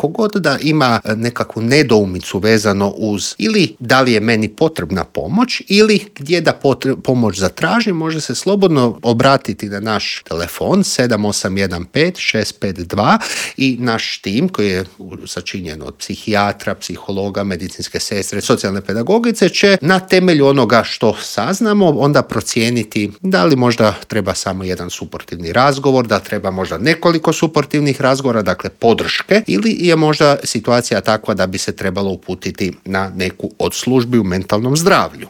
god da ima nekakvu nedoumicu vezano uz ili da li je meni potrebna pomoć ili gdje da pomoć zatražim, može se slobodno obratiti na naš telefon 7815-652 i naš tim koji je sačinjen od psihijatra, psihologa, medicinske sestre, socijalne pedagogice će na temelju onoga što saznamo onda procijeniti da li možda treba samo jedan suportivni razgovor, da treba možda nekoliko suportivnih razgovora, dakle podrške, ili je možda situacija takva da bi se trebalo uputiti na neku od službi u mentalnom zdravlju.